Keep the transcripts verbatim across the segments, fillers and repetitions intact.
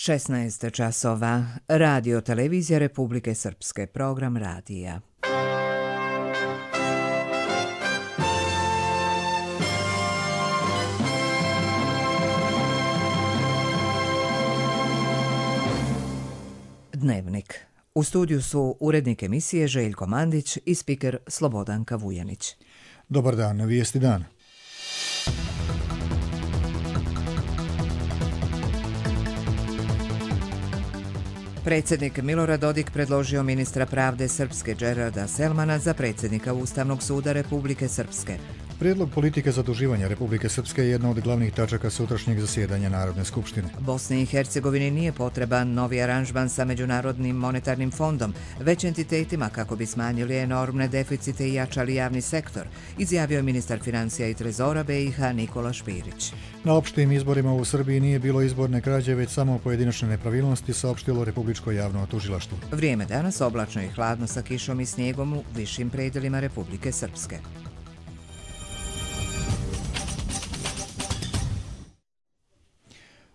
šesnaest časova. Radio Televizija Republike Srpske. Program radija. Dnevnik. U studiju su urednik emisije Željko Mandić i spiker Slobodanka Vujanić. Dobar dan, vijesti dana. Predsjednik Milorad Dodik predložio ministra pravde Srpske Džerarda Selmana za predsjednika Ustavnog suda Republike Srpske. Prijedlog politike zaduživanja Republike Srpske je jedna od glavnih tačaka sutrašnjeg zasjedanja Narodne skupštine. Bosni i Hercegovini nije potreban novi aranžman sa Međunarodnim monetarnim fondom, već entitetima kako bi smanjili enormne deficite i jačali javni sektor, izjavio je ministar financija i trezora B i H Nikola Špirić. Na opštim izborima u Srbiji nije bilo izborne krađe, već samo pojedinačne nepravilnosti, saopštilo Republičko javno tužilaštvo. Vrijeme danas oblačno i hladno sa kišom i snijegom u višim predelima Republike Srpske.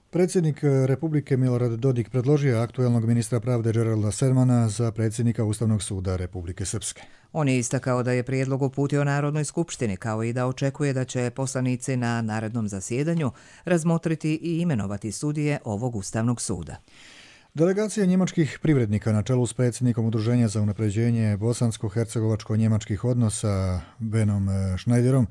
Predsjednik Republike Milorad Dodik predložio aktuelnog ministra pravde Džerarda Selmana za predsjednika Ustavnog suda Republike Srpske. On je istakao da je prijedlog uputio Narodnoj skupštini, kao i da očekuje da će poslanici na narednom zasjedanju razmotriti i imenovati sudije ovog Ustavnog suda. Delegacija njemačkih privrednika na čelu s predsjednikom Udruženja za unapređenje bosansko-hercegovačko-njemačkih odnosa Benom Schneiderom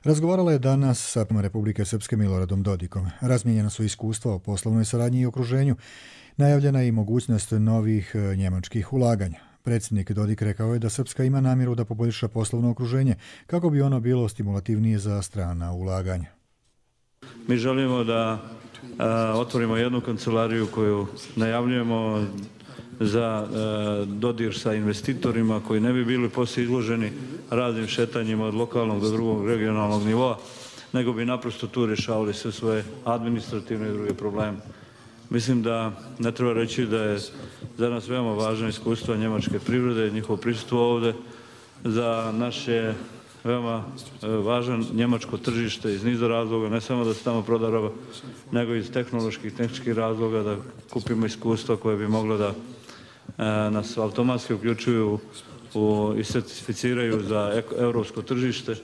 razgovarala je danas sa Republike Srpske Miloradom Dodikom. Razmijenjena su iskustva o poslovnoj saradnji i okruženju, najavljena je i mogućnost novih njemačkih ulaganja. Predsjednik Dodik rekao je da Srpska ima namjeru da poboljša poslovno okruženje kako bi ono bilo stimulativnije za strana ulaganja. Mi želimo da a, otvorimo jednu kancelariju koju najavljujemo za a, dodir sa investitorima koji ne bi bili poslije izloženi raznim šetanjima od lokalnog do drugog regionalnog nivoa, nego bi naprosto tu rješavali sve svoje administrativne i druge probleme. Mislim da ne treba reći da je za nas veoma važno iskustvo njemačke privrede, njihovo prisustvo ovdje, za naše veoma važan njemačko tržište iz niza razloga, ne samo da se tamo proda roba, nego iz tehnoloških, tehničkih razloga, da kupimo iskustva koje bi moglo da e, nas automatski uključuju u, i certificiraju za europsko tržište.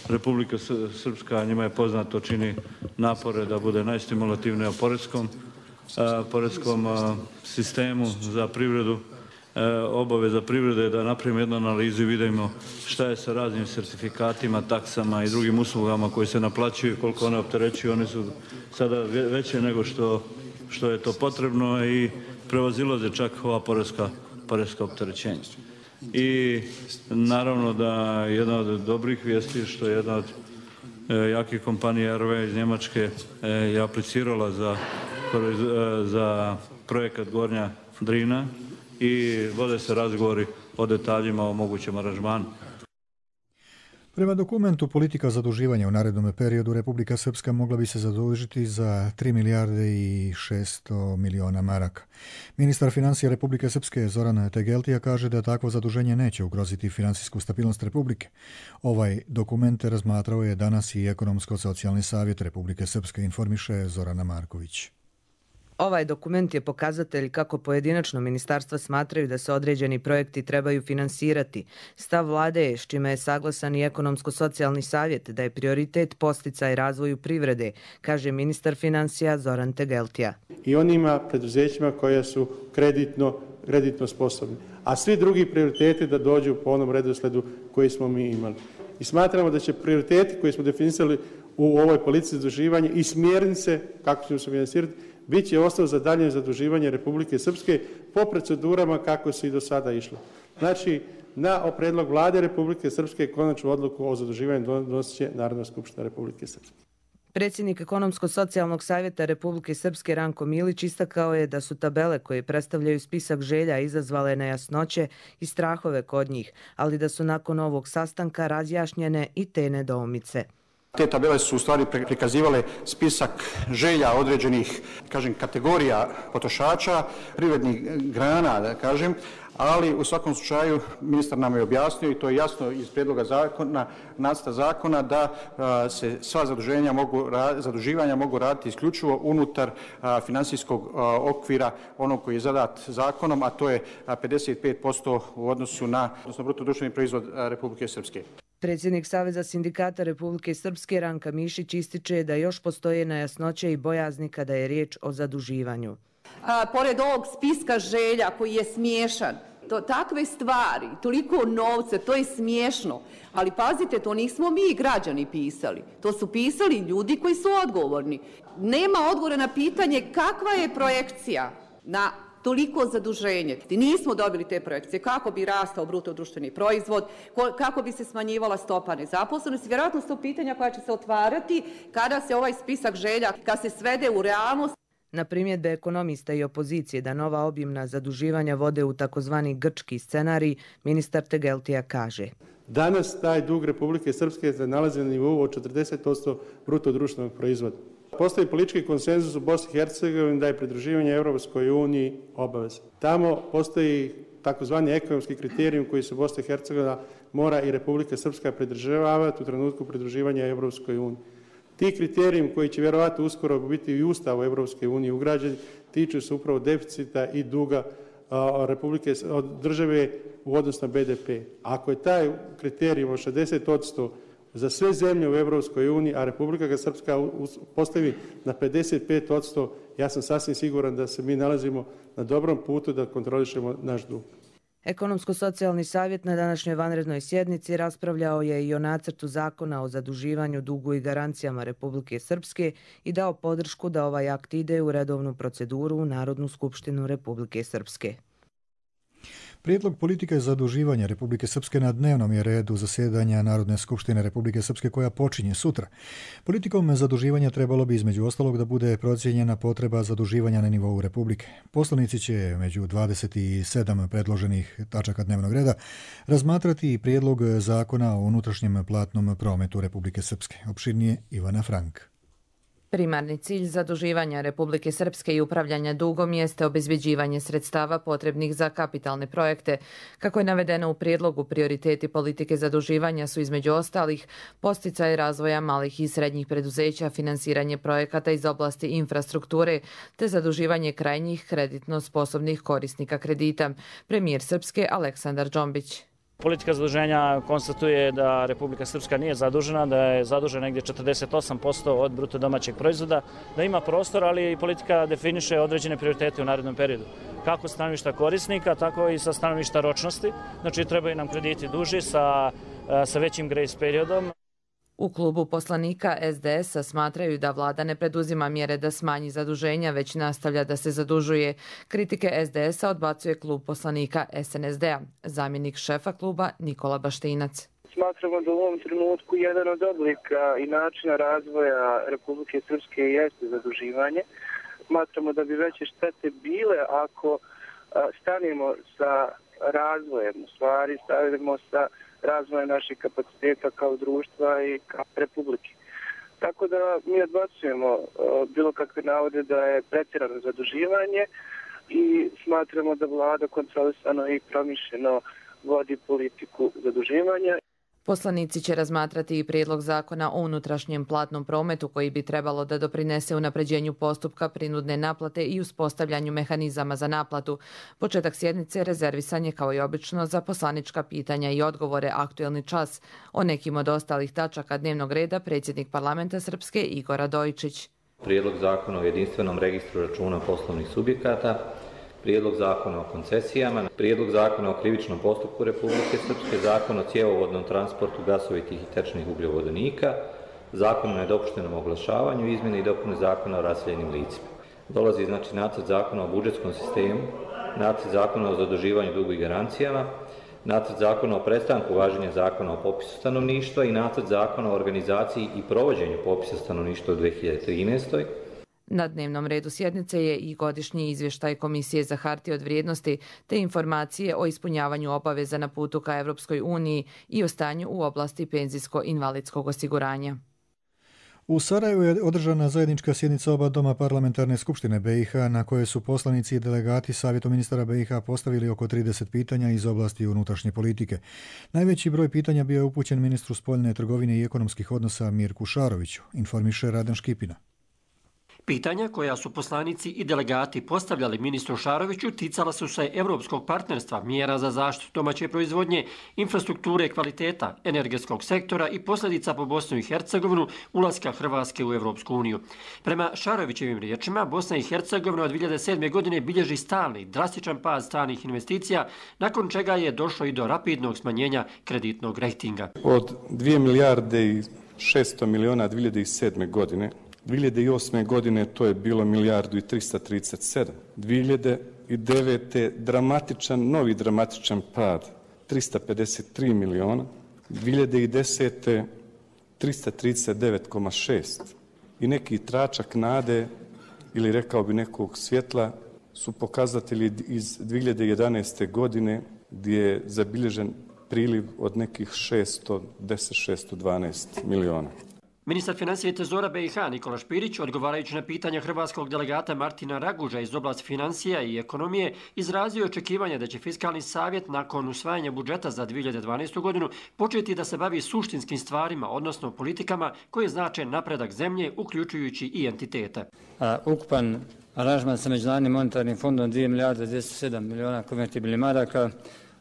Republika Srpska, njima je poznato, čini napore da bude najstimulativnija u poreskom, e, poreskom e, sistemu za privredu. Obaveza privrede da napravimo jednu analizu i vidimo šta je sa raznim sertifikatima, taksama i drugim uslugama koje se naplaćuju, koliko one opterećuju. One su sada veće nego što, što je to potrebno i prevazilaze čak ova poreska, poreska opterećenja. I naravno da jedna od dobrih vijesti što je jedna od e, jakih kompanija R W iz Njemačke e, je aplicirala za, e, za projekat Gornja Drina i vode se razgovori o detaljima o mogućem aranžmanu. Prema dokumentu politika zaduživanja u narednom periodu Republika Srpska mogla bi se zadužiti za tri milijarde i šesto miliona maraka. Ministar financija Republike Srpske Zoran Tegeltija kaže da takvo zaduženje neće ugroziti finansijsku stabilnost Republike. Ovaj dokument razmatrao je danas i Ekonomsko-socijalni savjet Republike Srpske, informiše Zorana Marković. Ovaj dokument je pokazatelj kako pojedinačno ministarstva smatraju da se određeni projekti trebaju finansirati. Stav vlade je, s čime je saglasan i Ekonomsko-socijalni savjet, da je prioritet podsticaj razvoju privrede, kaže ministar financija Zoran Tegeltija. I onima preduzećima koja su kreditno, kreditno sposobni. A svi drugi prioriteti da dođu po onom redosledu koji smo mi imali. I smatramo da će prioriteti koji smo definisali u ovoj politici zaduživanja i smjernice kako ćemo se finansirati bit će ostao za dalje zaduživanje Republike Srpske po procedurama kako se i do sada išlo. Znači, na predlog vlade Republike Srpske konačnu odluku o zaduživanju donosit će Narodna skupština Republike Srpske. Predsjednik Ekonomsko-socijalnog savjeta Republike Srpske Ranko Milić istakao je da su tabele koje predstavljaju spisak želja izazvale nejasnoće i strahove kod njih, ali da su nakon ovog sastanka razjašnjene i te nedoumice. Te tabele su u stvari prikazivale spisak želja određenih, kažem, kategorija potrošača, privrednih grana, da kažem, ali u svakom slučaju ministar nam je objasnio i to je jasno iz prijedloga zakona, nacrta zakona, da a, se sva zaduženja mogu, zaduživanja mogu raditi isključivo unutar a, financijskog a, okvira onog koji je zadat zakonom, a to je a, pedeset pet posto u odnosu na, odnosno bruto društveni proizvod a, Republike Srpske. Predsjednik Saveza sindikata Republike Srpske Ranka Mišić ističe da još postoje nejasnoće i bojazni kada je riječ o zaduživanju. A, pored ovog spiska želja koji je smiješan, to, takve stvari, toliko novca, to je smiješno. Ali pazite, to nismo mi građani pisali. To su pisali ljudi koji su odgovorni. Nema odgovora na pitanje kakva je projekcija na toliko zaduženje. Nismo dobili te projekcije. Kako bi rastao bruto društveni proizvod, kako bi se smanjivala stopa nezaposlenosti. Vjerojatno su to pitanja koja će se otvarati kada se ovaj spisak želja, kada se svede u realnost. Na primjedbe ekonomista i opozicije da nova obimna zaduživanja vode u takozvani grčki scenarij, ministar Tegeltija kaže: Danas taj dug Republike Srpske se nalazi na nivou od četrdeset posto bruto društvenog proizvoda. Postoji politički konsenzus u Bosni i Hercegovini da je pridruživanje Europskoj uniji obaveza. Tamo postoji takozvani ekonomski kriterijum koji se Bosna i Hercegovina mora i Republika Srpska pridržavati u trenutku pridruživanja Europskoj uniji. Ti kriterijum koji će vjerovatno uskoro biti i u Ustavu Europske unije ugrađeni tiču se upravo deficita i duga a, Republike od države u odnosu na B D P. Ako je taj kriterijum od šezdeset posto za sve zemlje u Europskoj uniji, a Republika Srpska postavi na pedeset pet posto, ja sam sasvim siguran da se mi nalazimo na dobrom putu da kontrolišemo naš dug. Ekonomsko-socijalni savjet na današnjoj vanrednoj sjednici raspravljao je i o nacrtu zakona o zaduživanju, dugu i garancijama Republike Srpske i dao podršku da ovaj akt ide u redovnu proceduru u Narodnu skupštinu Republike Srpske. Prijedlog politike zaduživanja Republike Srpske na dnevnom je redu zasjedanja Narodne skupštine Republike Srpske koja počinje sutra. Politikom zaduživanja trebalo bi između ostalog da bude procijenjena potreba zaduživanja na nivou Republike. Poslanici će među dvadeset sedam predloženih tačaka dnevnog reda razmatrati i prijedlog zakona o unutrašnjem platnom prometu Republike Srpske. Opširnije Ivana Frank. Primarni cilj zaduživanja Republike Srpske i upravljanja dugom jeste obezbeđivanje sredstava potrebnih za kapitalne projekte. Kako je navedeno u prijedlogu, prioriteti politike zaduživanja su između ostalih podsticaj razvoja malih i srednjih preduzeća, finansiranje projekata iz oblasti infrastrukture te zaduživanje krajnjih kreditno sposobnih korisnika kredita. Premijer Srpske Aleksandar Džombić. Politika zaduženja konstatuje da Republika Srpska nije zadužena, da je zadužena negdje četrdeset osam posto od bruto domaćeg proizvoda, da ima prostor, ali i politika definiše određene prioritete u narednom periodu. Kako sa stanovišta korisnika, tako i sa stanovišta ročnosti. Znači, trebaju nam krediti duži sa, sa većim grace periodom. U klubu poslanika S D S-a smatraju da vlada ne preduzima mjere da smanji zaduženja, već nastavlja da se zadužuje. Kritike S D S-a odbacuje klub poslanika S N S D-a. Zamjenik šefa kluba Nikola Baštinac. Smatramo da u ovom trenutku jedan od oblika i načina razvoja Republike Srpske jeste zaduživanje. Smatramo da bi veće štete bile ako stanemo sa razvojem, u stvari stavimo sa razvoja naših kapaciteta kao društva i kao republike. Tako da mi odbacujemo uh, bilo kakve navode da je pretjerano zaduživanje i smatramo da vlada kontrolisano i promišljeno vodi politiku zaduživanja. Poslanici će razmatrati i prijedlog zakona o unutrašnjem platnom prometu koji bi trebalo da doprinese unapređenju postupka prinudne naplate i uspostavljanju mehanizama za naplatu. Početak sjednice rezervisan je kao i obično za poslanička pitanja i odgovore aktuelni čas. O nekim od ostalih tačaka dnevnog reda predsjednik parlamenta Srpske Igor Radojičić. Prijedlog zakona o jedinstvenom registru računa poslovnih subjekata, Prijedlog zakona o koncesijama, Prijedlog zakona o krivičnom postupku Republike Srpske, Zakon o cjevovodnom transportu gasovitih i tečnih ugljovodonika, Zakon o nedopuštenom oglašavanju, izmjene i dopune Zakona o raseljenim licima. Dolazi znači nacrt zakona o budžetskom sistemu, nacrt zakona o zaduživanju, dugu i garancijama, nacrt zakona o prestanku važenja zakona o popisu stanovništva i nacrt zakona o organizaciji i provođenju popisa stanovništva u dvije hiljade trinaestoj. Na dnevnom redu sjednice je i godišnji izvještaj Komisije za hartije od vrijednosti te informacije o ispunjavanju obaveza na putu ka Evropskoj uniji i o stanju u oblasti penzijsko-invalidskog osiguranja. U Sarajevu je održana zajednička sjednica oba doma parlamentarne skupštine B i H na kojoj su poslanici i delegati Savjetu ministara B i H postavili oko trideset pitanja iz oblasti unutrašnje politike. Najveći broj pitanja bio je upućen ministru spoljne trgovine i ekonomskih odnosa Mirku Šaroviću, informiše Radan Škipina. Pitanja koja su poslanici i delegati postavljali ministru Šaroviću ticala su se evropskog partnerstva, mjera za zaštitu domaće proizvodnje, infrastrukture kvaliteta, energetskog sektora i posljedica po Bosnu i Hercegovinu ulaska Hrvatske u Evropsku uniju. Prema Šarovićevim riječima, Bosna i Hercegovina od dvije hiljade sedme. godine bilježi stalni, drastičan pad stranih investicija, nakon čega je došlo i do rapidnog smanjenja kreditnog rejtinga. Od dvije milijarde i šesto miliona dvije hiljade sedme. godine, dvije hiljade osme. godine to je bilo milijardu i trista trideset sedam. dvije hiljade devete. dramatičan, novi dramatičan pad, trista pedeset tri miliona. dvije hiljade desete. trista trideset devet zarez šest. I neki tračak nade, ili rekao bi nekog svjetla, su pokazatelji iz dvije hiljade jedanaeste. godine gdje je zabilježen priliv od nekih šesto deset, šesto dvanaest miliona. Ministar financija i trezora B i H Nikola Špirić, odgovarajući na pitanja hrvatskog delegata Martina Raguža iz oblasti financija i ekonomije, izrazio očekivanje da će Fiskalni savjet nakon usvajanja budžeta za dvije hiljade dvanaestu. godinu početi da se bavi suštinskim stvarima, odnosno politikama koje znače napredak zemlje, uključujući i entitete. A, ukupan aranžman sa Međunarodnim monetarnim fondom dvije milijarde dvjesto sedam miliona konvertibilnih maraka,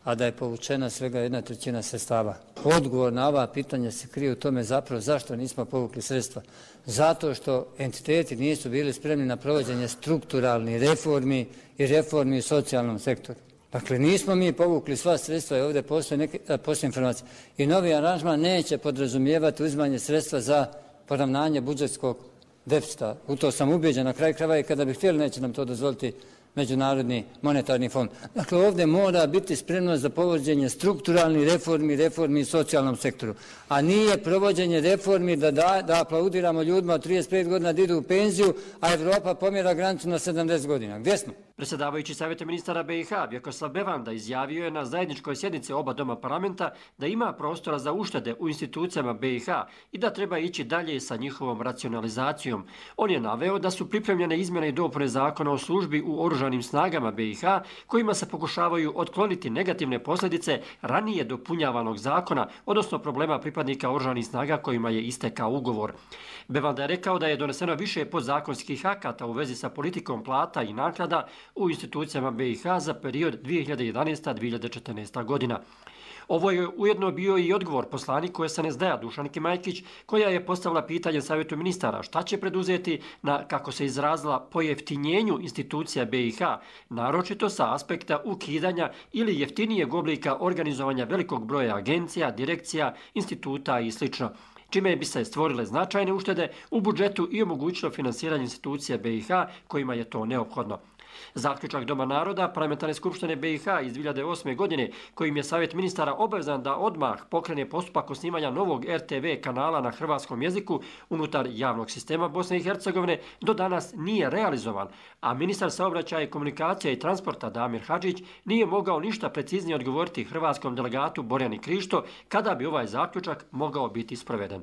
a da je povučena svega jedna trećina sredstava. Odgovor na ova pitanja se krije u tome zapravo zašto nismo povukli sredstva. Zato što entiteti nisu bili spremni na provođenje strukturalnih reformi i reformi u socijalnom sektoru. Dakle, nismo mi povukli sva sredstva i ovdje postoje neke postoje informacije. I novi aranžman neće podrazumijevati uzimanje sredstva za poravnanje budžetskog deficita. U to sam ubeđen, na kraju krajeva i kada bi htjeli neće nam to dozvoliti Međunarodni monetarni fond. Dakle, ovdje mora biti spremnost za provođenje strukturalnih reformi, reformi u socijalnom sektoru. A nije provođenje reformi da, da, da aplaudiramo ljudima od trideset pet godina da idu u penziju, a Evropa pomjera granicu na sedamdeset godina. Gdje smo? Predsjedavajući Savjeta ministara B i H Vjekoslav Bevanda izjavio je na zajedničkoj sjednici oba doma parlamenta da ima prostora za uštede u institucijama B i H i da treba ići dalje sa njihovom racionalizacijom. On je naveo da su pripremljene izmjene i dopune zakona o službi u oružanim snagama B i H kojima se pokušavaju otkloniti negativne posljedice ranije dopunjavanog zakona, odnosno problema pripadnika oružanih snaga kojima je istekao ugovor. Bevanda je rekao da je doneseno više podzakonskih akata u vezi sa politikom plata i naknada u institucijama B i H za period dvije hiljade jedanaesta do dvije hiljade četrnaesta. godina. Ovo je ujedno bio i odgovor poslaniku S N S D-a Dušanki Majkić, koja je postavila pitanje Savjetu ministara šta će preduzeti na, kako se izrazila, pojeftinjenju institucija B i H, naročito sa aspekta ukidanja ili jeftinijeg oblika organizovanja velikog broja agencija, direkcija, instituta i sl., čime bi se stvorile značajne uštede u budžetu i omogućilo finansiranje institucija B i H kojima je to neophodno. Zaključak Doma naroda Parlamentarne skupštine B i H iz dvije hiljade osme. godine, kojim je Savjet ministara obavezan da odmah pokrene postupak osnivanja novog R T V kanala na hrvatskom jeziku unutar javnog sistema Bosne i Hercegovine, do danas nije realizovan, a ministar saobraćaja i komunikacija i transporta Damir Hadžić nije mogao ništa preciznije odgovoriti hrvatskom delegatu Borjani Krišto kada bi ovaj zaključak mogao biti sproveden.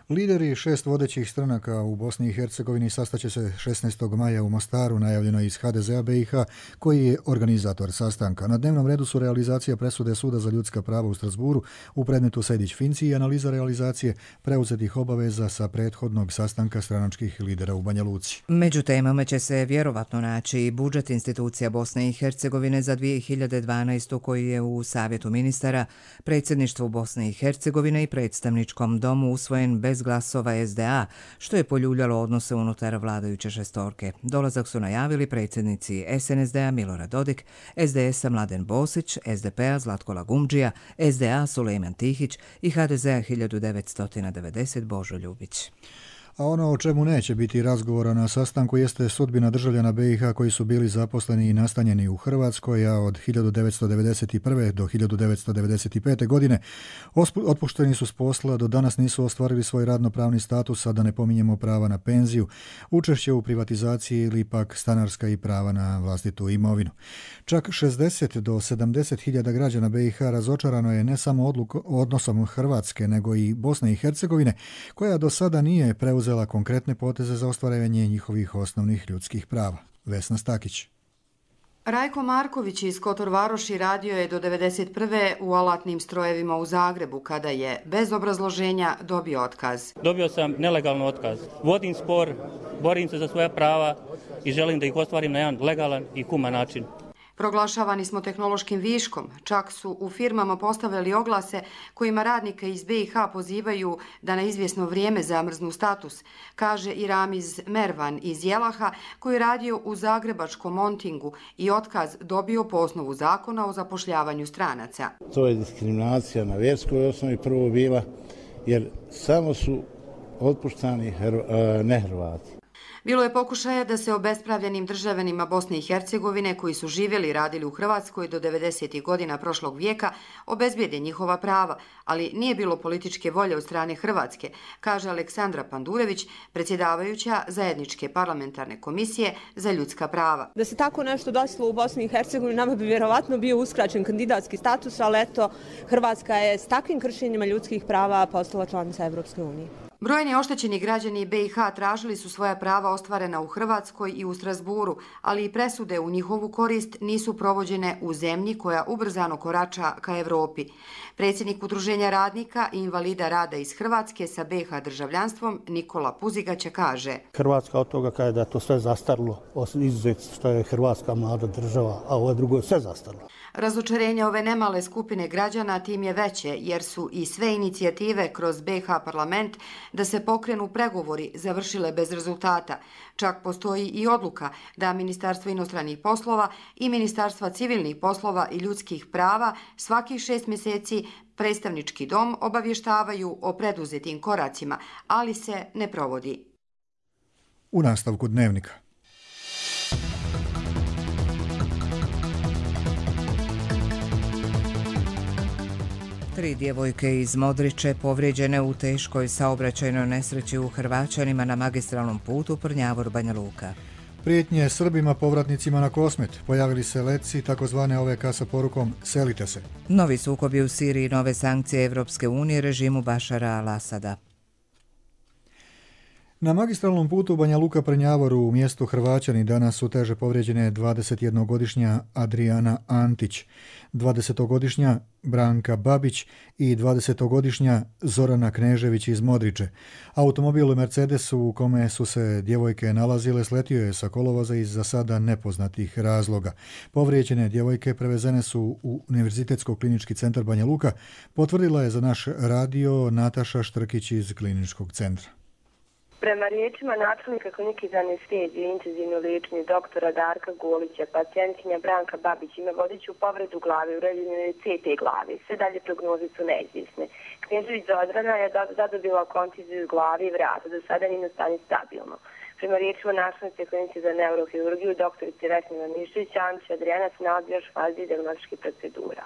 Lideri šest vodećih stranaka u Bosni i Hercegovini sastaće se šesnaestog maja u Mostaru, najavljeno iz H D Z A B i H, koji je organizator sastanka. Na dnevnom redu su realizacija presude Suda za ljudska prava u Strasburu u predmetu Sejdić-Finci i analiza realizacije preuzetih obaveza sa prethodnog sastanka stranačkih lidera u Banja Luci. Među temama će se vjerovatno naći i budžet institucija Bosne i Hercegovine za dvije hiljade dvanaestu. koji je u Savjetu ministara, predsjedništvu Bosne i Hercegovine i predstavničkom domu usvojen bez glasova S D A, što je poljuljalo odnose unutar vladajuće šestorke. Dolazak su najavili predsjednici S N S D-a Milorad Dodik, S D S-a Mladen Bosić, S D P-a Zlatko Lagumdžija, S D A Sulejman Tihić i H D Z-a hiljadu devetsto devedeset Božo Ljubić. A ono o čemu neće biti razgovora na sastanku jeste sudbina državljana B i H koji su bili zaposleni i nastanjeni u Hrvatskoj, a od hiljadu devetsto devedeset prve. do hiljadu devetsto devedeset pete. godine otpušteni su s posla, do danas nisu ostvarili svoj radnopravni status, a da ne pominjemo prava na penziju, učešće u privatizaciji ili pak stanarska i prava na vlastitu imovinu. Čak šezdeset do sedamdeset hiljada građana B i H razočarano je ne samo odlukom, odnosom Hrvatske, nego i Bosne i Hercegovine, koja do sada nije preuzela konkretne poteze za ostvarivanje njihovih osnovnih ljudskih prava. Vesna Stakić. Rajko Marković iz Kotor Varoši radio je do devedeset prve u alatnim strojevima u Zagrebu, kada je bez obrazloženja dobio otkaz. Dobio sam nelegalno otkaz. Vodim spor, borim se za svoja prava i želim da ih ostvarim na jedan legalan i human način. Proglašavani smo tehnološkim viškom, čak su u firmama postavili oglase kojima radnike iz B i H pozivaju da na izvjesno vrijeme zamrznu status, kaže i Ramiz Mervan iz Jelaha, koji je radio u zagrebačkom Montingu i otkaz dobio po osnovu zakona o zapošljavanju stranaca. To je diskriminacija na vjerskoj osnovi prvo bila, jer samo su otpuštani nehrvati. Bilo je pokušaja da se obespravljenim državljanima Bosne i Hercegovine koji su živjeli i radili u Hrvatskoj do devedesetih godina prošlog vijeka obezbijede njihova prava, ali nije bilo političke volje od strane Hrvatske, kaže Aleksandra Pandurević, predsjedavajuća Zajedničke parlamentarne komisije za ljudska prava. Da se tako nešto desilo u Bosni i Hercegovini, nama bi vjerovatno bio uskraćen kandidatski status, ali eto, Hrvatska je s takvim kršenjima ljudskih prava postala članica Evropske unije. Brojni oštećeni građani B i H tražili su svoja prava ostvarena u Hrvatskoj i u Strasburu, ali i presude u njihovu korist nisu provođene u zemlji koja ubrzano korača ka Evropi. Predsjednik Udruženja radnika i invalida rada iz Hrvatske sa B i H državljanstvom Nikola Puzigaća kaže: Hrvatska od toga kaže da je to sve zastarilo, izuzet što je Hrvatska mlada država, a ovo drugo je sve zastarilo. Razočarenje ove nemale skupine građana tim je veće, jer su i sve inicijative kroz B i H parlament da se pokrenu pregovori završile bez rezultata. Čak postoji i odluka da Ministarstvo inostranih poslova i Ministarstva civilnih poslova i ljudskih prava svakih šest mjeseci predstavnički dom obavještavaju o preduzetim koracima, ali se ne provodi. U nastavku dnevnika. Tri djevojke iz Modriče povrijeđene u teškoj saobraćajnoj nesreći u Hrvaćanima na magistralnom putu Prnjavor-Banja Luka. Prijetnje Srbima povratnicima na Kosmet. Pojavili se letci takozvane O V K sa porukom selite se. Novi sukobi u Siriji, nove sankcije Evropske unije režimu Bašara al-Asada. Na magistralnom putu Banja Luka Prnjavoru u mjestu Hrvaćani danas su teže povrijeđene dvadesetjednogodišnja Adriana Antić, dvadesetogodišnja Branka Babić i dvadesetogodišnja Zorana Knežević iz Modriče. Automobil Mercedes u kome su se djevojke nalazile sletio je sa kolovoza iz za sada nepoznatih razloga. Povrijeđene djevojke prevezene su u Univerzitetsko-klinički centar Banja Luka, potvrdila je za naš radio Nataša Štrkić iz kliničkog centra. Prema riječima načelnika klinike za anesteziju i intenzivno liječenje doktora Darka Golića, pacijentkinja Branka Babić ima vodeću povredu glave, uređenje C T glave. Sve dalje prognoze su neizvjesne. Knežević Zodrana je zadobila kontuziju glave i vrata, do sada njeno stanje stabilno. Prema riječima načelnice klinice za neurohirurgiju doktorice Vesne Mišević, Antić Adriana se nalazi još fazi dijagnostičkih procedura.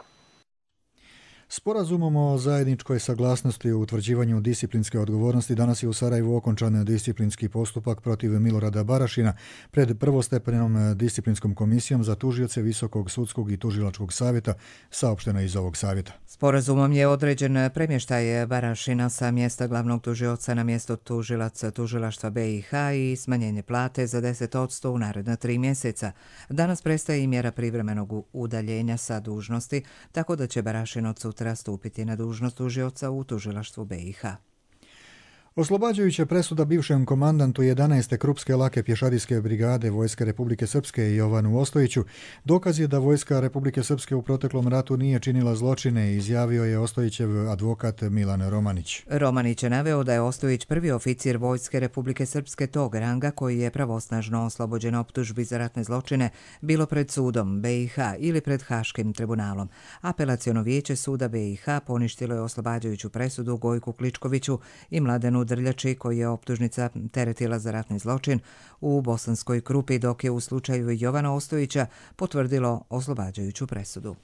Sporazumom o zajedničkoj saglasnosti o utvrđivanju disciplinske odgovornosti danas je u Sarajevu okončan disciplinski postupak protiv Milorada Barašina pred prvostepenom disciplinskom komisijom za tužioce Visokog sudskog i tužilačkog savjeta, saopšteno iz ovog savjeta. Sporazumom je određen premještaj Barašina sa mjesta glavnog tužioca na mjesto tužilaca tužilaštva B i H i smanjenje plate za deset posto u naredna tri mjeseca. Danas prestaje i mjera privremenog udaljenja sa dužnosti, tako da će Barašin od sutra stupiti na dužnost tužioca u tužilaštvu B i H. Oslobađajuća presuda bivšem komandantu jedanaeste Krupske lake pješadijske brigade Vojske Republike Srpske Jovanu Ostojiću dokaz je da Vojska Republike Srpske u proteklom ratu nije činila zločine, izjavio je Ostojićev advokat Milan Romanić. Romanić je naveo da je Ostojić prvi oficir Vojske Republike Srpske tog ranga koji je pravosnažno oslobođen optužbi za ratne zločine, bilo pred sudom B i H ili pred Haškim tribunalom. Apelaciono vijeće suda B i H poništilo je oslobađajuću presudu Gojku Kličkoviću i Mladenu Ivanu Drljači, koji je optužnica teretila za ratni zločin u Bosanskoj Krupi, dok je u slučaju Jovana Ostojića potvrdilo oslobađajuću presudu.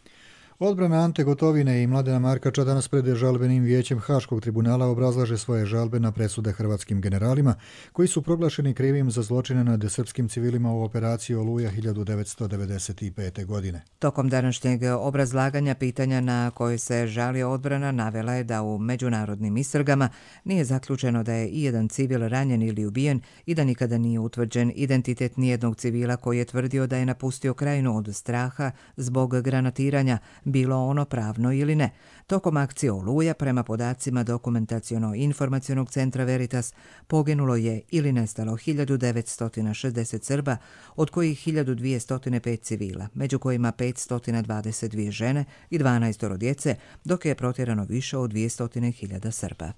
Odbrana Ante Gotovine i Mladena Markača danas pred žalbenim vijećem Haškog tribunala obrazlaže svoje žalbe na presude hrvatskim generalima koji su proglašeni krivim za zločine nad srpskim civilima u operaciji Oluja hiljadu devetsto devedeset pete. godine. Tokom današnjeg obrazlaganja pitanja na koje se žali odbrana navela je da u međunarodnim istragama nije zaključeno da je ijedan civil ranjen ili ubijen i da nikada nije utvrđen identitet nijednog civila koji je tvrdio da je napustio krajinu od straha zbog granatiranja, bilo ono pravno ili ne. Tokom akcije Oluja, prema podacima Dokumentaciono-informacionog centra Veritas, poginulo je ili nestalo hiljadu devetsto šezdeset Srba, od kojih hiljadu dvjesto pet civila, među kojima petsto dvadeset dvije žene i dvanaest djece, dok je protjerano više od dvjesto hiljada Srba.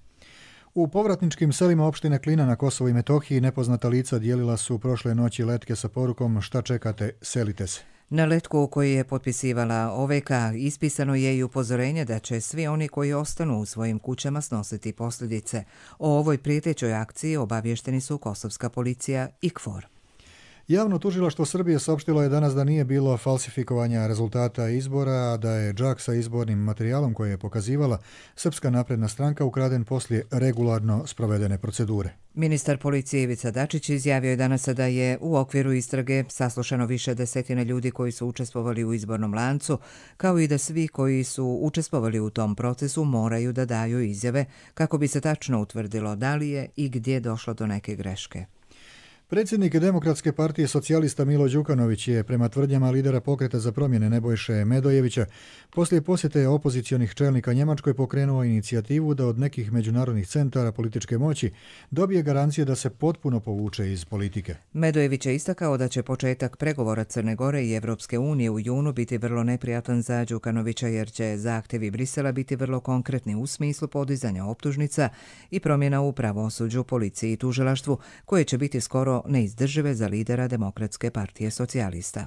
U povratničkim selima opštine Klina na Kosovo i Metohiji nepoznata lica dijelila su prošle noći letke sa porukom "Šta čekate, selite se". Na letku koji je potpisivala O V K ispisano je i upozorenje da će svi oni koji ostanu u svojim kućama snositi posljedice. O ovoj prijetećoj akciji obavješteni su kosovska policija i K F O R. Javno tužilaštvo Srbije saopštilo je danas da nije bilo falsifikovanja rezultata izbora, a da je džak sa izbornim materijalom koje je pokazivala Srpska napredna stranka ukraden poslije regularno sprovedene procedure. Ministar policije Ivica Dačić izjavio je danas da je u okviru istrage saslušano više desetine ljudi koji su učestvovali u izbornom lancu, kao i da svi koji su učestvovali u tom procesu moraju da daju izjave kako bi se tačno utvrdilo da li je i gdje došlo do neke greške. Predsjednik Demokratske partije socijalista Milo Đukanović je, prema tvrdnjama lidera Pokreta za promjene Nebojše Medojevića, poslije posjete opozicionih čelnika Njemačkoj pokrenuo inicijativu da od nekih međunarodnih centara političke moći dobije garancije da se potpuno povuče iz politike. Medojević je istakao da će početak pregovora Crne Gore i Evropske unije u junu biti vrlo neprijatan za Đukanovića, jer će zahtjevi Brisela biti vrlo konkretni u smislu podizanja optužnica i promjena u pravosuđu, policiji i tužilaštvu, koje će biti skoro neizdržive za lidera Demokratske partije socijalista.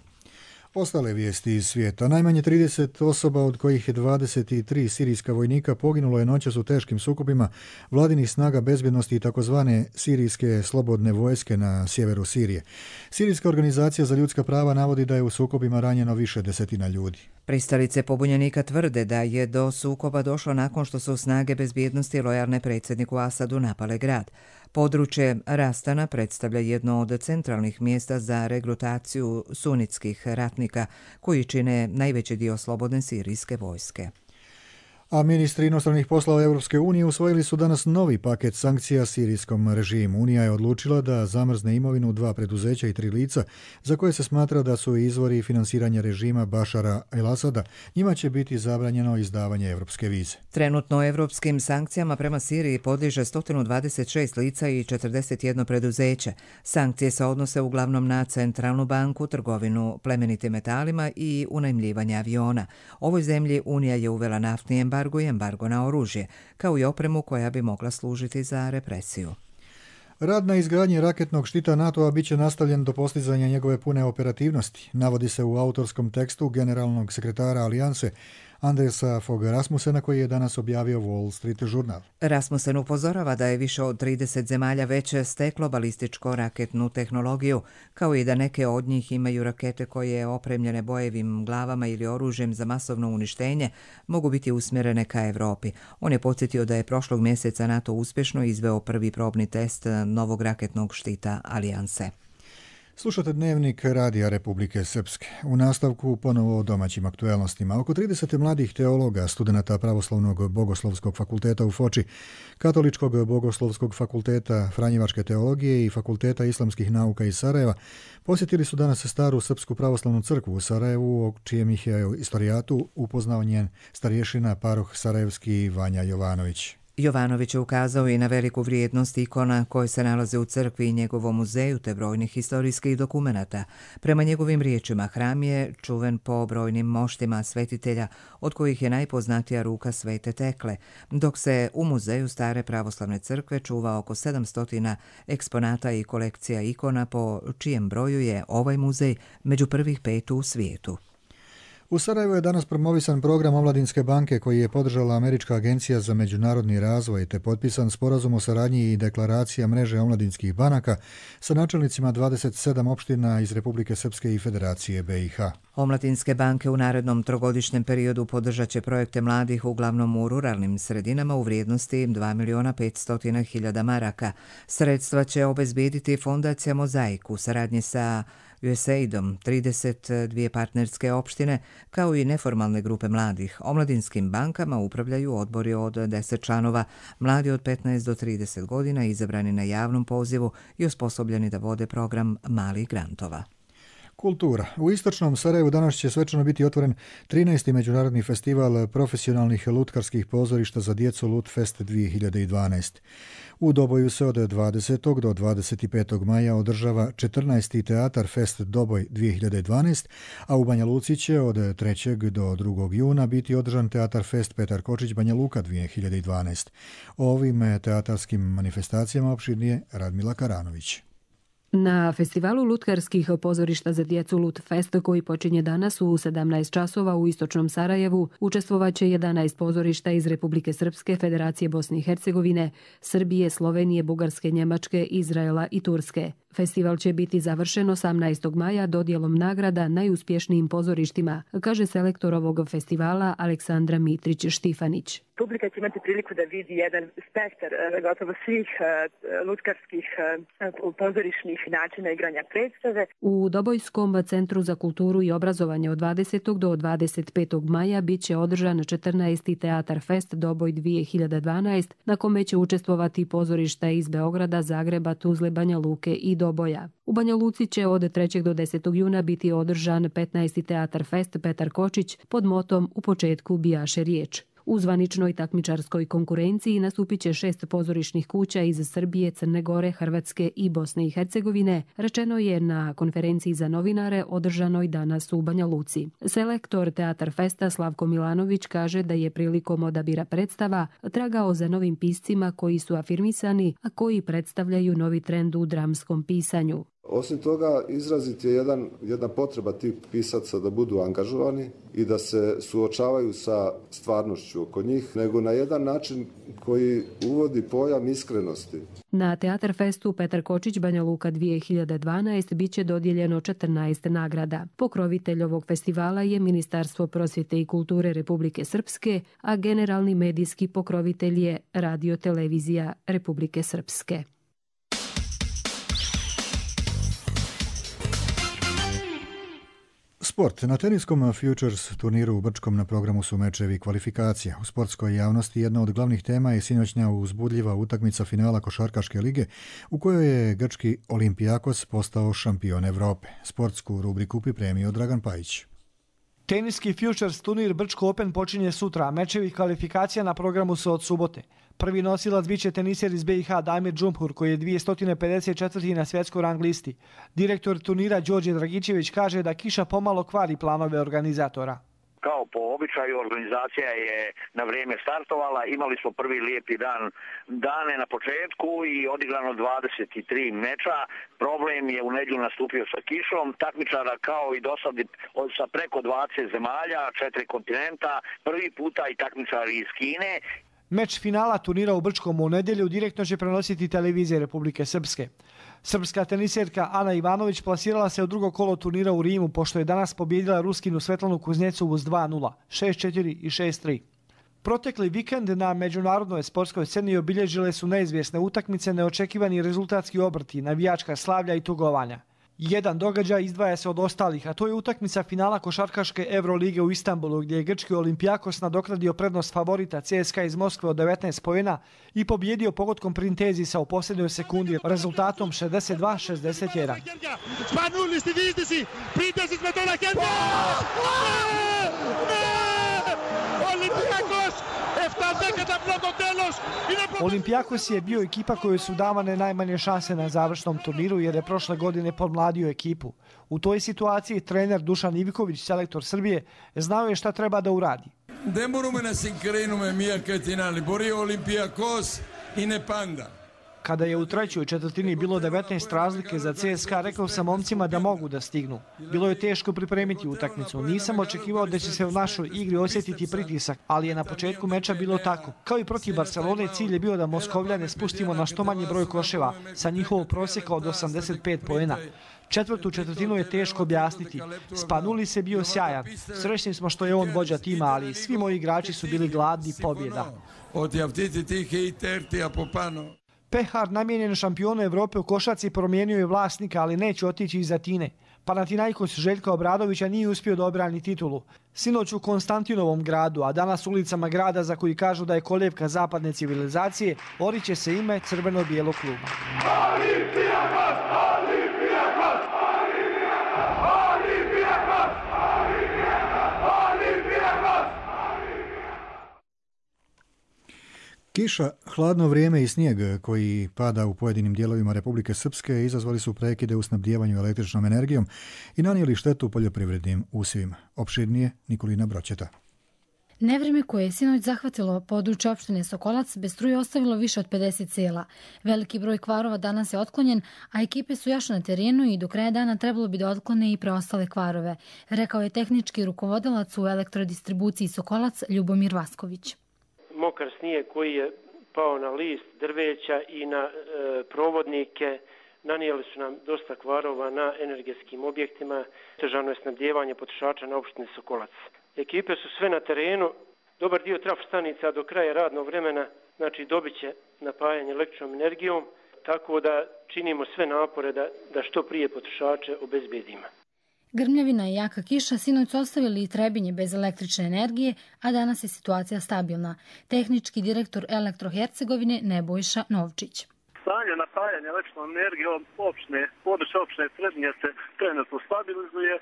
Ostale vijesti iz svijeta. Najmanje trideset osoba, od kojih je dvadeset tri sirijska vojnika, poginulo je noćas u teškim sukobima vladinih snaga bezbjednosti i takozvane sirijske slobodne vojske na sjeveru Sirije. Sirijska organizacija za ljudska prava navodi da je u sukobima ranjeno više desetina ljudi. Pristalice pobunjenika tvrde da je do sukoba došlo nakon što su snage bezbjednosti lojalne predsjedniku Asadu napale grad. Područje Rastana predstavlja jedno od centralnih mjesta za regrutaciju sunitskih ratnika koji čine najveći dio slobodne sirijske vojske. A ministri inostranih poslova Europske unije usvojili su danas novi paket sankcija sirijskom režimu. Unija je odlučila da zamrzne imovinu dva preduzeća i tri lica za koje se smatra da su izvori finansiranja režima Bašara el-Asada. Njima će biti zabranjeno izdavanje evropske vize. Trenutno evropskim sankcijama prema Siriji podliježe sto dvadeset šest lica i četrdeset jedno preduzeće. Sankcije se odnose uglavnom na centralnu banku, trgovinu plemenitim metalima i unajmljivanje aviona. Ovoj zemlji Unija je uvela naftni embargo i embargo na oružje, kao i opremu koja bi mogla služiti za represiju. Rad na izgradnji raketnog štita NATO-a bit će nastavljen do postizanja njegove pune operativnosti, navodi se u autorskom tekstu generalnog sekretara Alijanse Andersa Fogha Rasmussena, koji je danas objavio Wall Street Journal. Rasmussen upozorava da je više od trideset zemalja već steklo balističko raketnu tehnologiju, kao i da neke od njih imaju rakete koje, opremljene bojevim glavama ili oružjem za masovno uništenje, mogu biti usmjerene ka Evropi. On je podsjetio da je prošlog mjeseca NATO uspješno izveo prvi probni test novog raketnog štita Alijanse. Slušate Dnevnik Radija Republike Srpske. U nastavku ponovo o domaćim aktuelnostima. Oko trideset mladih teologa, studenata Pravoslavnog bogoslovskog fakulteta u Foči, Katoličkog bogoslovskog fakulteta Franjevačke teologije i Fakulteta islamskih nauka iz Sarajeva posjetili su danas staru Srpsku pravoslavnu crkvu u Sarajevu, o čijem ih je istorijatu upoznao njen starješina paroh sarajevski Vanja Jovanović. Jovanović je ukazao i na veliku vrijednost ikona koje se nalaze u crkvi i njegovom muzeju te brojnih historijskih dokumenata. Prema njegovim riječima, hram je čuven po brojnim moštima svetitelja, od kojih je najpoznatija ruka Svete Tekle, dok se u muzeju Stare pravoslavne crkve čuva oko sedamsto eksponata i kolekcija ikona, po čijem broju je ovaj muzej među prvih pet u svijetu. U Sarajevu je danas promovisan program Omladinske banke koji je podržala Američka agencija za međunarodni razvoj te potpisan sporazum o saradnji i deklaracija mreže omladinskih banaka sa načelnicima dvadeset sedam opština iz Republike Srpske i Federacije B i H. Omladinske banke u narednom trogodišnjem periodu podržat će projekte mladih uglavnom u ruralnim sredinama u vrijednosti dva miliona petsto hiljada maraka. Sredstva će obezbijediti fondacija Mozaik u saradnji sa U S A I D-om, trideset dvije partnerske opštine, kao i neformalne grupe mladih. Omladinskim bankama upravljaju odbori od deset članova, mladi od petnaest do trideset godina, izabrani na javnom pozivu i osposobljeni da vode program malih grantova. Kultura. U istočnom Sarajevu danas će svečano biti otvoren trinaesti međunarodni festival profesionalnih lutkarskih pozorišta za djecu Lutfest dvije hiljade dvanaest. U Doboju se od dvadesetog do dvadeset petog maja održava četrnaesti Teatar Fest Doboj dvije hiljade dvanaest, a u Banja Luci će od trećeg do drugog juna biti održan Teatar Fest Petar Kočić Banja Luka dvije hiljade dvanaest. O ovim teatarskim manifestacijama opširnije Radmila Karanović. Na festivalu lutkarskih pozorišta za djecu Lutfest, koji počinje danas u sedamnaest časova u istočnom Sarajevu, učestvovaće jedanaest pozorišta iz Republike Srpske, Federacije Bosne i Hercegovine, Srbije, Slovenije, Bugarske, Njemačke, Izraela i Turske. Festival će biti završen osamnaestog maja dodjelom nagrada najuspješnijim pozorištima, kaže selektor ovog festivala Aleksandra Mitrić-Štifanić. Publika će imati priliku da vidi jedan spektar gotovo svih lutkarskih pozorišnih načina igranja predstave. U Dobojskom centru za kulturu i obrazovanje od dvadesetog do dvadeset petog maja bit će održan četrnaesti Teatar Fest Doboj dvije hiljade dvanaest, na kome će učestvovati pozorišta iz Beograda, Zagreba, Tuzle, Banja Luke i Doboja. U Banja Luci će od trećeg do desetog juna biti održan petnaesti Teatar Fest Petar Kočić pod motom U početku bijaše riječ. U zvaničnoj takmičarskoj konkurenciji nastupit će šest pozorišnih kuća iz Srbije, Crne Gore, Hrvatske i Bosne i Hercegovine, rečeno je na konferenciji za novinare održanoj danas u Banja Luci. Selektor Teatar Festa Slavko Milanović kaže da je prilikom odabira predstava tragao za novim piscima koji su afirmisani, a koji predstavljaju novi trend u dramskom pisanju. Osim toga, izrazit je jedan, jedna potreba tih pisaca da budu angažovani i da se suočavaju sa stvarnošću oko njih, nego na jedan način koji uvodi pojam iskrenosti. Na Teatar Festu Petar Kočić Banja Luka dvije hiljade dvanaest bit će dodijeljeno četrnaest nagrada. Pokrovitelj ovog festivala je Ministarstvo prosvjete i kulture Republike Srpske, a generalni medijski pokrovitelj je Radio televizija Republike Srpske. Sport. Na teniskom Futures turniru u Brčkom na programu su mečevi kvalifikacija. U sportskoj javnosti jedna od glavnih tema je sinoćnja uzbudljiva utakmica finala Košarkaške lige u kojoj je grčki Olimpijakos postao šampion Evrope. Sportsku rubriku pripremio Dragan Pajić. Teniski Futures turnir Brčko Open počinje sutra, a mečevi kvalifikacija na programu su od subote. Prvi nosilac biće teniser iz B i H Damir Džumhur, koji je dvjesto pedeset četvrti na svjetskoj rang listi. Direktor turnira Đorđe Dragičević kaže da kiša pomalo kvari planove organizatora. Kao po običaju, organizacija je na vrijeme startovala, imali smo prvi lijepi dan dane na početku i odigrano dvadeset tri meča. Problem je u nedjelju nastupio sa kišom, takmičara kao i dosad sa preko dvadeset zemalja, četiri kontinenta, prvi puta i takmičari iz Kine. Meč finala turnira u Brčkom u nedjelju direktno će prenositi televizije Republike Srpske. Srpska teniserka Ana Ivanović plasirala se u drugo kolo turnira u Rimu, pošto je danas pobjedila Ruskinu Svetlanu Kuznecovu s dva nula, šest četiri i šest tri. Protekli vikend na međunarodnoj sportskoj sceni obilježile su neizvjesne utakmice, neočekivani rezultatski obrti, navijačka slavlja i tugovanja. Jedan događaj izdvaja se od ostalih, a to je utakmica finala Košarkaške Evrolige u Istanbulu, gdje je grčki Olimpijakos nadoknadio prednost favorita C S K A iz Moskve od devetnaest poena i pobjedio pogodkom Printezisa u posljednjoj sekundi rezultatom šezdeset dva šezdeset jedan. Spanulli στη δίστηση, Printezis με το ρακέτη! Olimpijakos! Olimpijakos je bio ekipa kojoj su davane najmanje šanse na završnom turniru jer je prošle godine podmladio ekipu. U toj situaciji trener Dušan Iviković, selektor Srbije, znao je šta treba da uradi. Δεν μπορούμε να συγκρίνουμε μία και την άλλη. Μπορεί ο Ολυμπιακός είναι πάντα. Kada je u trećoj četvrtini bilo devetnaest razlike za C S K A, rekao sam momcima da mogu da stignu. Bilo je teško pripremiti utakmicu. Nisam očekivao da će se u našoj igri osjetiti pritisak, ali je na početku meča bilo tako. Kao i protiv Barcelone, cilj je bio da Moskovljane spustimo na što manji broj koševa sa njihovog prosjeka od osamdeset pet poena. Četvrtu četvrtinu je teško objasniti. Spanulis je bio sjajan. Srećni smo što je on vođa tima, ali svi moji igrači su bili gladni pobjeda. Pehar, namijenjen šampionu Evrope u košarci, promijenio je vlasnika, ali neće otići iz Atine. Panathinaikos Željka Obradovića nije uspio da obrani titulu. Sinoć u Konstantinovom gradu, a danas ulicama grada za koji kažu da je kolijevka zapadne civilizacije, oriće se ime crveno-bijelog kluba. Kiša, hladno vrijeme i snijeg koji pada u pojedinim dijelovima Republike Srpske izazvali su prekide u snabdijevanju električnom energijom i nanijeli štetu poljoprivrednim usjevima. Opširnije Nikolina Broćeta. Nevreme koje je sinoć zahvatilo područje opštine Sokolac bez struje ostavilo više od pedeset sela. Veliki broj kvarova danas je otklonjen, a ekipe su još na terenu i do kraja dana trebalo bi da otklone i preostale kvarove, rekao je tehnički rukovodilac u elektrodistribuciji Sokolac Ljubomir Vasković. Mokar snijeg koji je pao na list drveća i na e, provodnike nanijeli su nam dosta kvarova na energetskim objektima. Težano je snabdijevanje potrošača na opštini Sokolac. Ekipe su sve na terenu, dobar dio trafostanica do kraja radnog vremena, znači dobit će napajanje električnom energijom, tako da činimo sve napore da, da što prije potrošače obezbedimo. Grmljavina i jaka kiša sinoć su ostavili i Trebinje bez električne energije, a danas je situacija stabilna. Tehnički direktor Elektrohercegovine Nebojša Novčić. Stanje napajanja električnom energijom opštine, područje opštine Trebinje se trenutno stabilizuje,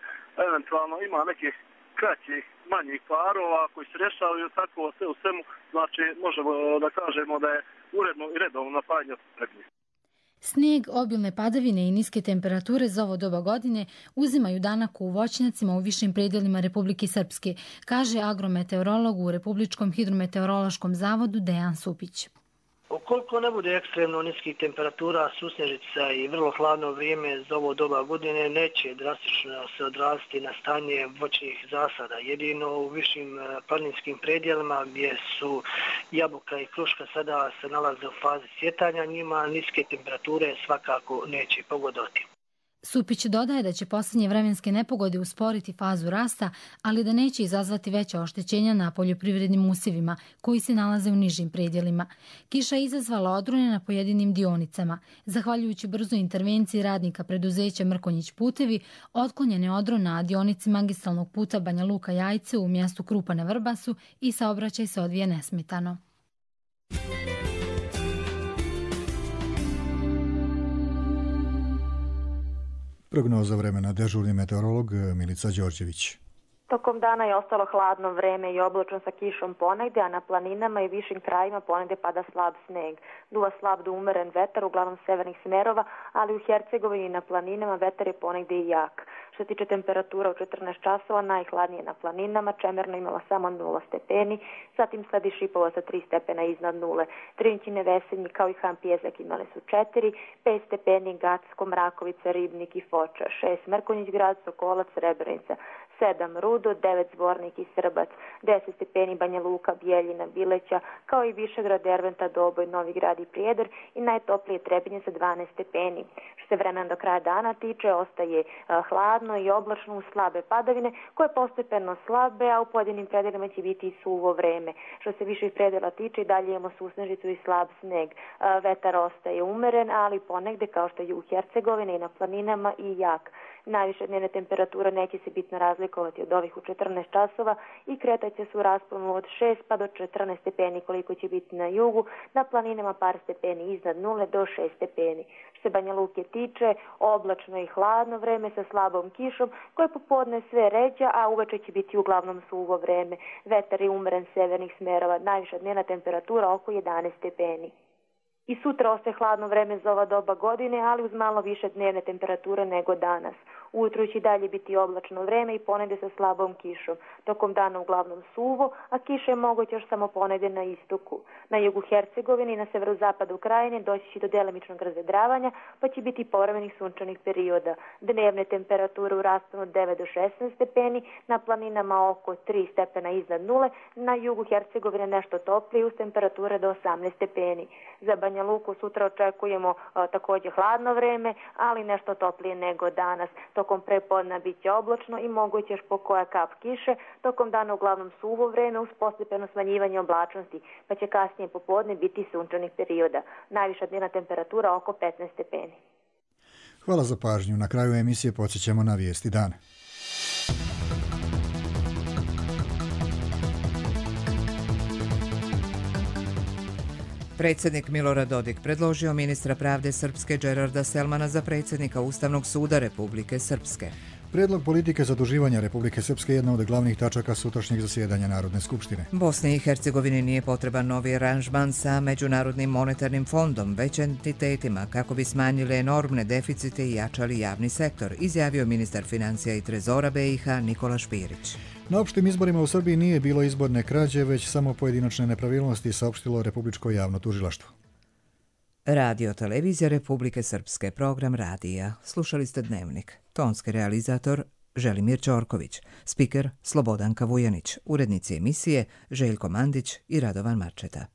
eventualno ima nekih kraćih, manjih parova koji se rješavaju, tako sve u svemu, znači možemo da kažemo da je uredno i redovno napajanje Trebinje. Snijeg, obilne padavine i niske temperature za ovo doba godine uzimaju danak u voćnjacima u višim predjelima Republike Srpske, kaže agrometeorolog u Republičkom hidrometeorološkom zavodu Dejan Supić. Ukoliko ne bude ekstremno niskih temperatura, susnežica i vrlo hladno vrijeme za ovo doba godine, neće drastično se odraziti na stanje voćnih zasada. Jedino u višim planinskim predjelima gdje su jabuka i kruška sada se nalaze u fazi cvjetanja, njima niske temperature svakako neće pogoditi. Supić dodaje da će posljednje vremenske nepogode usporiti fazu rasta, ali da neće izazvati veća oštećenja na poljoprivrednim usjevima koji se nalaze u nižim predjelima. Kiša je izazvala odrone na pojedinim dionicama. Zahvaljujući brzoj intervenciji radnika preduzeća Mrkonjić putevi, otklonjen je odron na dionici magistralnog puta Banja Luka Jajce u mjestu Krupa na Vrbasu i saobraćaj se odvija nesmetano. Prognoza vremena, dežurni meteorolog Milica Đorđević. Tokom dana je ostalo hladno vreme i oblačno sa kišom ponegde, a na planinama i višim krajima ponegde pada slab sneg. Duva slab do umeren vetar, uglavnom severnih smerova, ali u Hercegovini i na planinama vetar je ponegde i jak. Što se tiče temperatura u četrnaest časova, najhladnije na planinama, Čemerno imala samo nula stepeni, zatim sledi Šipovo sa tri stepena iznad nule. Trinčine, Vesenji kao i Han Pjezak imali su četiri, pet stepeni Gacko, Mrakovica, Ribnik i Foča, šest Mrkonjić grad, Sokolac, Srebrenica, sedam Rudo, devet Zvornik i Srbac, deset stepeni Banja Luka, Bijeljina, Bileća, kao i Višegrad, Derventa, Doboj, Novi Grad i Prijedor i najtoplije Trebinje sa dvanaest stepeni. Što se vremena do kraja dana tiče, ostaje a, hladno i oblačno uz slabe padavine koje postepeno slabe, a u pojedinim predelima će biti i suvo vreme. Što se viših predela tiče, dalje imamo susnežicu i slab sneg. A, vetar ostaje umeren, ali ponegde kao što je u Hercegovini i na planinama i jak. Najviše dnevne temperature neće se bitno razlikovati od ovih u četrnaest časova i kretat će se u rasponu od šest pa do četrnaest stepeni koliko će biti na jugu, na planinama par stepeni iznad nule do šest stepeni. Što se Banja Luke tiče, oblačno i hladno vreme sa slabom kišom koje popodne sve ređa, a uveče će biti uglavnom suvo vreme. Vetar je umeren severnih smerova, najviša dnevna temperatura oko jedanaest stepeni. I sutra ostaje hladno vreme za ova doba godine, ali uz malo više dnevne temperature nego danas. Ujutru će dalje biti oblačno vreme i ponegde sa slabom kišom. Tokom dana uglavnom suvo, a kiša je moguća još samo ponegde na istoku. Na jugu Hercegovine i na severozapadu Krajine doći će do delimičnog razvedravanja, pa će biti povremenih sunčanih perioda. Dnevne temperature u rasponu od devet do šesnaest stepeni, na planinama oko tri stepena iznad nule, na jugu Hercegovine nešto toplije uz temperature do osamnaest stepeni. Za Banja Luku sutra očekujemo a, također hladno vreme, ali nešto toplije nego danas. Tokom prepodna bit će oblačno i moguće još po koja kap kiše, tokom dana uglavnom suvo vreme uz postepeno smanjivanje oblačnosti, pa će kasnije popodne biti sunčanih perioda. Najviša dnevna temperatura oko petnaest stepeni. Hvala za pažnju. Na kraju emisije podsjećamo na vijesti dana. Predsjednik Milorad Dodik predložio ministra pravde Srpske Đerarda Selmana za predsjednika Ustavnog suda Republike Srpske. Prijedlog politike zaduživanja Republike Srpske je jedna od glavnih tačaka sutrašnjeg zasjedanja Narodne skupštine. Bosni i Hercegovini nije potreban novi aranžman sa Međunarodnim monetarnim fondom, već entitetima kako bi smanjili enormne deficite i jačali javni sektor, izjavio ministar financija i trezora B i H Nikola Špirić. Na opštim izborima u Srbiji nije bilo izborne krađe, već samo pojedinačne nepravilnosti, saopštilo Republičko javno tužilaštvo. Radio televizija Republike Srpske, program radija. Slušali ste Dnevnik. Tonski realizator Želimir Ćorković, spiker Slobodanka Vujanić, urednici emisije Željko Mandić i Radovan Marčeta.